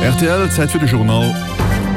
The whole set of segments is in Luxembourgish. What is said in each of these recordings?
Rtl, Zäit fir de Journal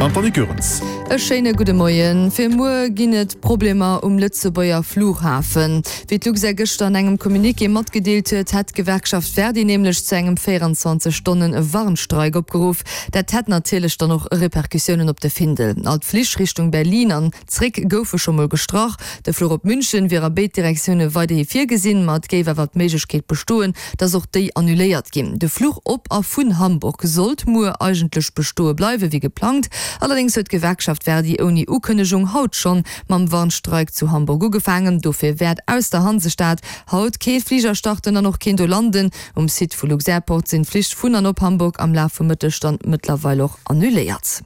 an d'Annick Goerens. E schéine gudde Moien. Fir muer ginn et Problemer um Lëtzebuerger Flughafen. Wéi d'Luxair gëschter an engem Communiqué matgedeelt huet, hätt d'Gewerkschaft Verdi nämlech zu engem 24 Stonnen Warnstreik opgeruff. Dat hätt natierlech dann och Repercussiounen op de Findel. All d'Flich Richtung Berlin an Zréck goufe scho mol gestrach. De Fluch op München wier a béid Direktioune weiderhi virgesinn, ma et géif awer d'Méiglechkeet bestoen, datt och déi annuléiert ginn. De Fluch op a vun Hamburg sollt muer eigentlech bestoe bleiwe wéi geplangt. Allerdéngs huet d'Gewerkschaft Verdi ouni Ukënnegung haut schonn mam Warnstreik zu Hamburg ugefaangen. Dofir wäert aus der Hansestad haut kee Fliger starten an och keen do landen. Um Site vu Luxairport sinn d'Flich vun an op Hamburg am Laf vum Mëtteg dann mëttlerweil och annuléiert.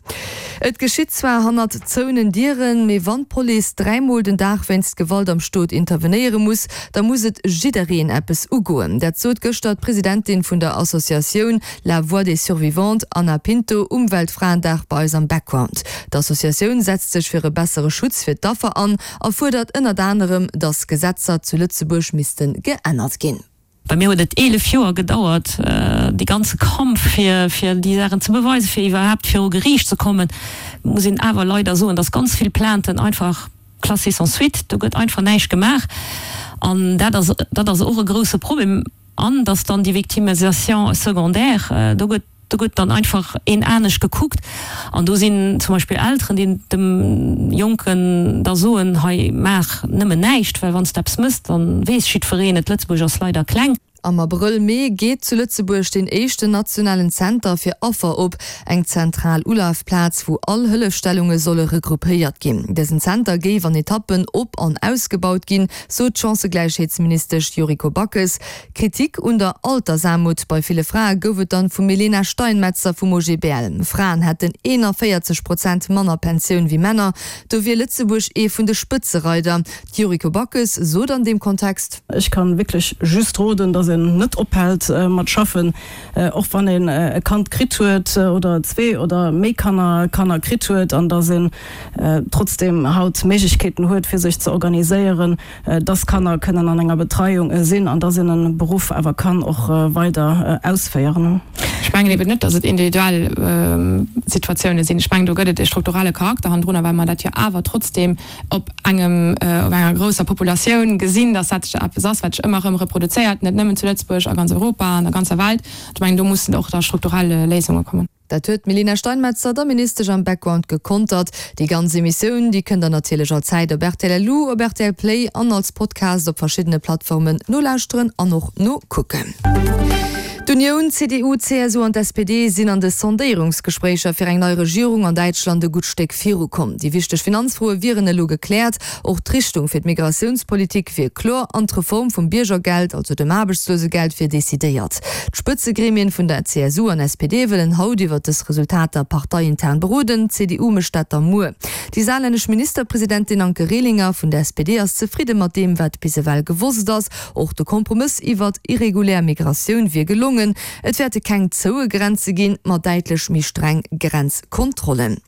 Et geschitt zwar hannert zouenen Dieren, mee wann d'Police dräimol den Dag wéinst Gewalt am Stot intervenéiere muss, da muss et jiddereen eppes ugoen. Dat sot gëschter d'Presidentin vun der Associatioun La Voix des Survivantes, Ana Pinto, um Weltfraendag bei eis am Background. D'Associatioun setzt sech fir e bessere Schutz fir d'Affer an a fuerdert ënnert anerem, datt Gesetzer zu Lëtzebuerg misste geännert ginn. Bei mir huet et 11 Joer gedauert, dee ganze Kampf, fir fir déi Saachen ze beweisen, fir iwwerhaapt viru Geriicht ze kommen. Muss een awer leider soen, dass ganz vill Plainten einfach classées sans suite, do gëtt einfach näischt gemaach. An dat ass, dat ass och e grouse Problem. An dass dann déi Victimisation secondaire, do gëtt, Do gëtt dann einfach een anescht gekuckt an do sinn zum Beispill Elteren, déi dem Jonken da soen, hei maach nëmmen näischt, well wann s de eppes mëss, da weess jiddwereen et. Lëtzebuerg ass leider kleng. Am Abrëll, Mee geet zu Lëtzebuerg deen éischten nationalen Zenter fir Affer op, eng zentral Ulafplaz, wou all Hëllefstellunge solle regroupéiert ginn. Dësen Zenter géif an Etappen op an ausgebaut ginn, sot d'Chancëgläichheetsministesch Yuriko Backes. Kritik un der Altersaarmut bei ville Frae gouf et dann vum Milena Steinmetzer vum OGBL. Fraen hätten 41 Prozent manner Pensioun wéi Männer. Do wier Lëtzebuerg ee vun de Spëtzereider. D'Yuriko Backes sot an deem Kontext. Ech kann wierklech just roden, dass een net ophält mat schaffen, och wann een e Kand kritt huet oder zwee oder méi Kanner Kanner kritt huet, an dass een trotzdem haut Méiglechkeeten huet fir sech ze organiséieren, dass Kanner kënnen an enger Betreiung sinn an dass een e Beruff awer kann och weider ausféieren. Ech mengen eben net, dass et individuell Situatioune sinn. Ech mengen, do gëtt et e strukturelle Charakter hannendrunner, well mer dat jo awer trotzdeem op engem, op enger grousser Populatioun gesinn, dass dat eppes ass, wat sech ëmmer erëm reproduzéiert, net nëmmen zu Lëtzebuerg, a ganz Europa an der ganzer Welt. Ech mengen, do mussen och da strukturell Léisunge kommen. Dat huet d'Melina Steinmetzer der Ministesch am Background gekontert. Déi ganz Emissioun, déi kënnt der natierlech all Zäit op rtl LU, op rtl Play an als Podcast op verschiddene Plattformen nolauschteren an och nokucken. D'Unioun, CDU, CSU an d'SPD sinn an de Sondéierungsgespréicher fir eng nei Regierung an Däitschland e gutt Stéck virukomm. Déi wichteg Finanzfroe wieren elo gekläert. Och d'Richtung fir d'Migratiounspolitik wier kloer an d'Reform vum Biergergeld, also dem Aarbechtslosegeld, wier decidéiert. D'Spëtzegremien vun der CSU an SPD wëllen haut iwwer dës Resultater parteiintern beroden. D'CDU mécht dat da muer. Déi saarlännesch Ministerpresidentin Anke Rehlinger vun der SPD ass zefridde mat deem, wat bis ewell gewosst ass. Och de Kompromëss iwwert irregulär Migratioun wier gelongen. Et wäerte keng zoue Grenze ginn, ma däitlech méi streng Grenzkontrollen.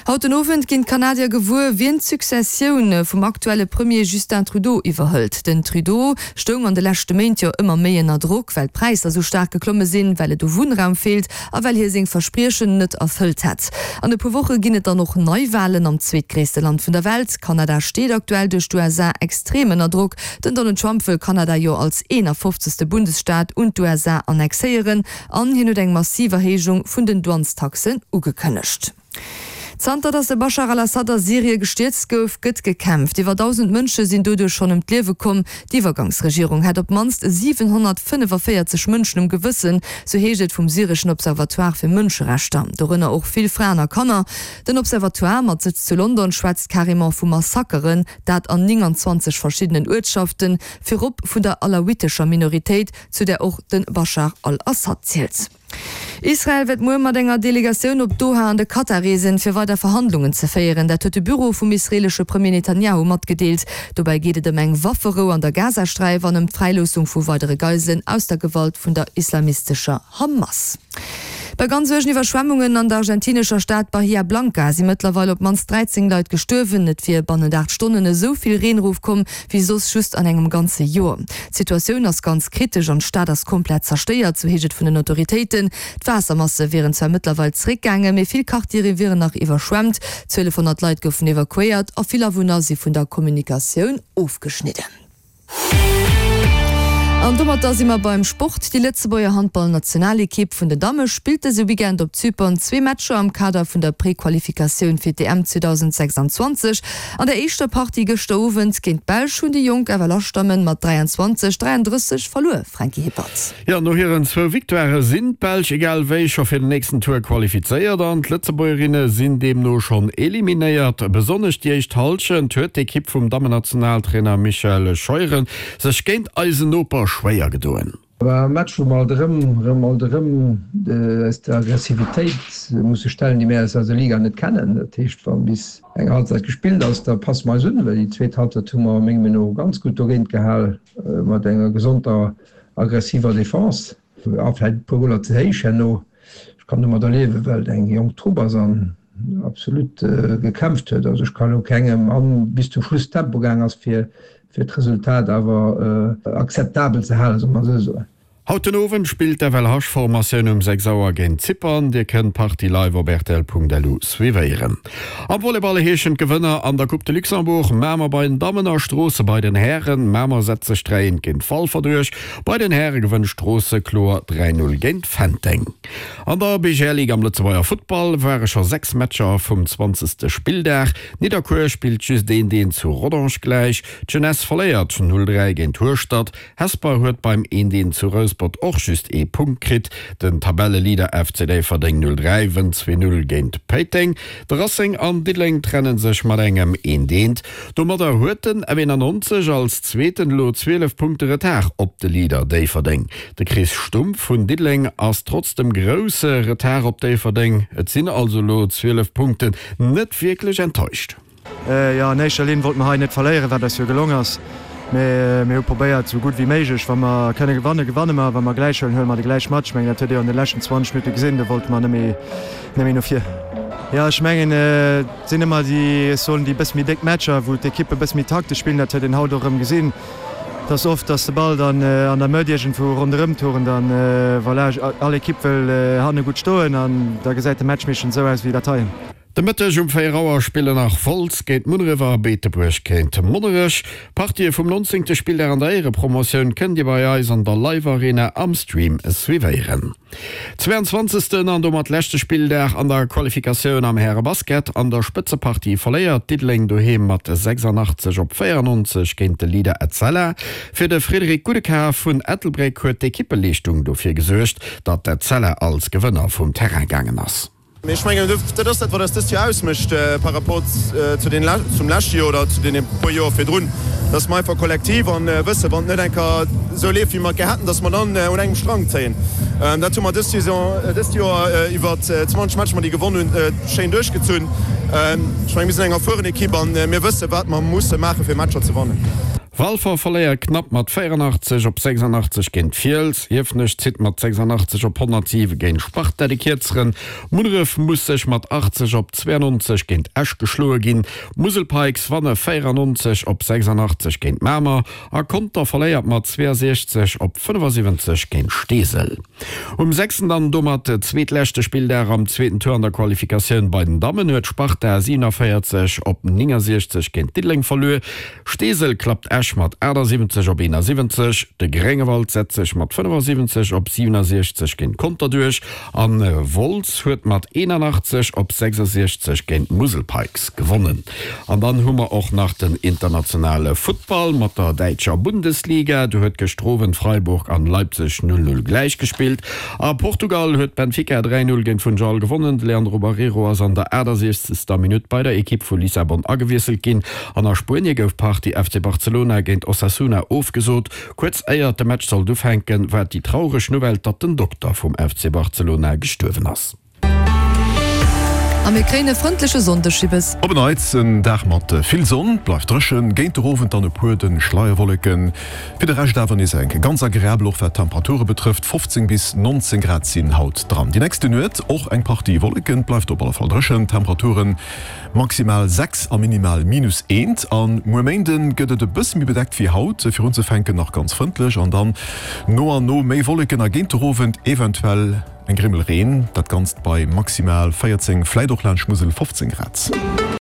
Haut den Owend ginn d'Kanadier gewuer, wien d'Successioun vum aktuelle Premier Justin Trudeau iwwerhëlt. Den Trudeau stoung an de leschte Méint jo ëmmer méi ënner Drock, well d'Präisser sou staark geklomme sinn, well et u Wunnraum feelt a well hie seng Verspriechen net erfëllt hätt. An e puer Woche ginn et dann och Neiwalen am zweetgréisste Land vun der Welt. Kanada steet aktuell duerch d'USA extrem ënner Drock. Den Donald Trump wëll Kanada jo als 51. Bundesstaat un d'USA annexéieren. An hien huet eng massiv Erhéijung vun den Douanestaxen ugekënnegt. Zanter datt de Baschar al-Assad a Syrie gestierzt gouf, gëtt gekämpft. Iwwer 1.000 Mënsche sinn doduerch schonn ëm d'Liewe komm. D'Iwwergangsregierung hätt op d'mannst 745 Mënschen um Gewëssen, sou heescht et vum syreschen Observatoire fir Mënscherechter. Dorënner och vill Fraen a Kanner. Den Observatoire mat Sëtz zu London schwätzt carrément vu Massakeren, dat an 29 verschiddenen Uertschaften, virop vun der alawitescher Minoritéit, zu där och de Baschar al-Assad zielt. Israel wäert muer mat enger Delegatioun op Doha an de Katar reesen, fir weider Verhandlungen ze féieren. Dat huet de Büro vum israeelesche Premier Netanjahu matgedeelt. Dobäi geet et ëm eng Wafferou an der Gazasträif an ëm d'Fräiloossung vu weidere Geiselen aus der Gewalt vun der islamistescher Hamas. Bei ganz uergen Iwwerschwemmungen an der argentinescher Stad Bahia Blanca si mëttlerweil op d'mannst 13 Leit gestuerwen. Et wier bannent 8 Stonnen esou vill Reen erofkomm, wéi soss just an engem ganze Joer. D'Situatioun ass ganz kritesch an d'Stad ass komplett zerstéiert, sou heescht et vun den Autoritéiten. D'Waassermasse wieren zwar mëttlerweil zeréckgaangen, mee vill Quartiere wieren nach iwwerschwemmt. 1200 Leit goufen evakuéiert a vill Awunner si vun der Kommunikatioun ofgeschnidden. An domatter si mer beim Sport. Déi Lëtzebuerger Handballnationalekipp vun den Damme spillt dëse Weekend op Zypern zwee Matcher am Kader vun der Prequalifikatioun fir d'EM 2026. An der éischter Partie gëschter Owend géint d'Belsch hunn déi jonk FLH-Dammen mat 23, 33 verluer, Franky Hippert. Jo, no hiren zwou Victoirë sinn d'Belsch egal wéi scho fir den nächsten Tour qualifizéiert an d'Lëtzebuergerinne sinn deemno schonn eliminéiert. Besonnesch déi éischt Hallschent huet d'Ekipp vum Dammennationaltrainer Michel Scheuren sech géint eisen Noper schwéier gedoen. War e Match wou mer alt erëm, erëm, alt erëm eis der Aggressivitéit musse stellen, déi mir aus eiser Liga net kennen. Dat heescht, wa bis eng Halbzeit gespillt ass, da passe mer eis un, well déi zweet Halbzeit hu mer mengem Meenung no ganz gutt dogéint gehal mat enger gesonter aggressiver Defense a vläit e puer Goler ze héich herno. Ech kann domadder liewen, well et eng jonk Trupp ass an absolut gekämpft huet. Also ech kann elo kengem an bis zum Schluss Tempo gaang ass fir fir d'Resultat awer akzeptabel ze halen, solle mer esou soen. Haut den Owend spillt d'FLH-Formatioun um 6 Auer géint Zypern. Dir kënnt d'Partie live op rtl.lu suivéieren. Am Volleyball heeschen d'Gewënner an der Coupe de Luxembourg Mamer bei den Dammen a Stroosse bei den Hären. Mamer setzt sech 3 eent géint Walfer duerch. Bei den Häre gewënnt Stroosse kloer 3 0 géint Fenteng. An der BGL Ligue am Lëtzebuerger Futtball ware scho 6 Matcher vum zwanzegste Spilldag. Nidderkuer spillt just eent eent zu Rodange gläich. D'Jeunesse verléiert 0 3 géint Hueschtert. Hesper huet beim eent eent zu Rouspert och just ee Punkt kritt. Den Tabelleleader FC Déifferdeng 03 wënnt 2 0 géint Péiteng. De Racing an Diddeleng trenne sech mat engem eent eent. Domadder huet den F91 als Zweeten elo 12 Punkte Retard op de Leader Déifferdeng. De Chris Stumpf vun Diddeleng ass trotz dem grousse Retard op Déifferdeng, et sinn also elo 12 Punkten, net wierklech enttäuscht. Jo, an éischter Linn wollte mer hei net verléieren, wat eis jo gelong ass. Mee mir hu probéiert, esou gutt wéi méiglech, wa mer kënne gewannen, gewanne mer, wa mer gläich huelen, huele mer de gläich mat. Ech mengen, dat huet Dir jo an de leschten 20 Minutte gesinn, do wollte mer net méi, net méi no vir. Jo, ech mengen, et sinn ëmmer déi, ech soen, déi e bësse méi déck Matcher, wou d'Ekippe e bësse méi taktesch spillen. Dat huet een haut och erëm gesinn. Et ass oft, dass de Ball dann an der Mëtt iergendwou ronderëm turnt an voilà, all Ekipp wëll hanne gutt stoen an da gesäit de Match meeschtens esou aus wéi dat hei. De Mëtteg um 4 Auer spillen nach Wolz géint Munneref a Beetebuerg géint Monnerech. D'Partië vum 19. Spilldag an der Éierepromotioun kënnt Dir bei eis an der Live Arena am Stream suivéieren. 22. An domat leschte Spilldag an der Qualifikatioun am Härebasket. An der Spëtzepartie verléiert Diddeleng doheem mat 86 op 94 géint de Leader Etzella. Fir de Frédéric Goudekar vun Ettelbréck huet d'Ekippeleeschtung dofir gesuergt, datt d'Etzella als Gewënner vum Terrain gaangen ass. Mee ech mengen, dat ass dat, wat eis dëst Joer ausmécht par rapport zu den, zum leschte Joer oder zu deene puer Joer virdrun, dass mer einfach kollektiv an wëssen, wann et net eng Kéier esou leeft, wéi mer et gär hätten, dass mer dann un engem Strang zéien. Dat hu mer dës Saison, dëst Joer iwwer 20 Matcher, déi gewonn hunn, schéin duerchgezunn. Ech mengen, mir sinn eng erfueren Ekipp an mir wëssen, wat mer musse maachen, fir Matcher ze wannen. Walfer verléiert knapp mat 84 op 86 géint Fiels. Hiefenech zitt mat 86 op 107 géint Sparta de Kierzeren. Munneref muss sech mat 80 op 92 géint Esch geschloe ginn. D'Musel Pikes wanne 94 op 86 géint Mamer a Conter verléiert mat 62 op 75 géint Steesel. Um sechsten an domat zweetleschte Spilldag am zweeten Tour an der Qualifikatioun bei den Dammen huet Sparta 47 op 69 géint Diddeleng verluer. Steesel klappt Esch mat 78 op 71, de Gréngewald setzt sech mat 75 op 67 géint Conter duerch an Wolz huet mat 81 op 66 géint d'Musel Pikes gewonnen. An dann hu mer och nach den internationale Futtball mat der däitscher Bundesliga. Do huet gëschter Owend Freiburg an Leipzig 0, 0 gläich gespillt. A Portugal huet Benfica 3, 0 géint Funchal gewonnen. De Leandro Barreiro ass an der 68. Minutt bei der Ekipp vu Lissabon agewiesselt ginn. An a Spuenie gouf d'Partie FC Barcelona géint Osasuna ofgesot. Kuerz éiert de Match sollt ufänken, war et déi traureg Nouvelle, datt den Dokter vum FC Barcelona gestuerwen ass. A mir kréien e frëndleche Sonndeg, Jibbes. Op en Neits en Dag mat vill Sonn, et bleift dréchen, géint de Owend dann e puer dënn Schleierwolleken. Fir de Rescht awer nees eng ganz agreabel, och wat d'Temperature betrëfft, 15 bis 19 Grad sinn haut dran. Déi nächste Nuet och eng Partie Wolleken, et bleift op alle Fall dréchen, Temperaturen maximal 6 a minimal minus 1. A muer Méinde gëtt et e bësse méi bedeckt wéi haut, fir unzefänken nach ganz frëndlech an dann no an no méi Wolleken a géint de Owend eventuell Eng Grimmel Reen, dat Ganzt bei maximal 14, vläit och laanscht Musel 15 Grad.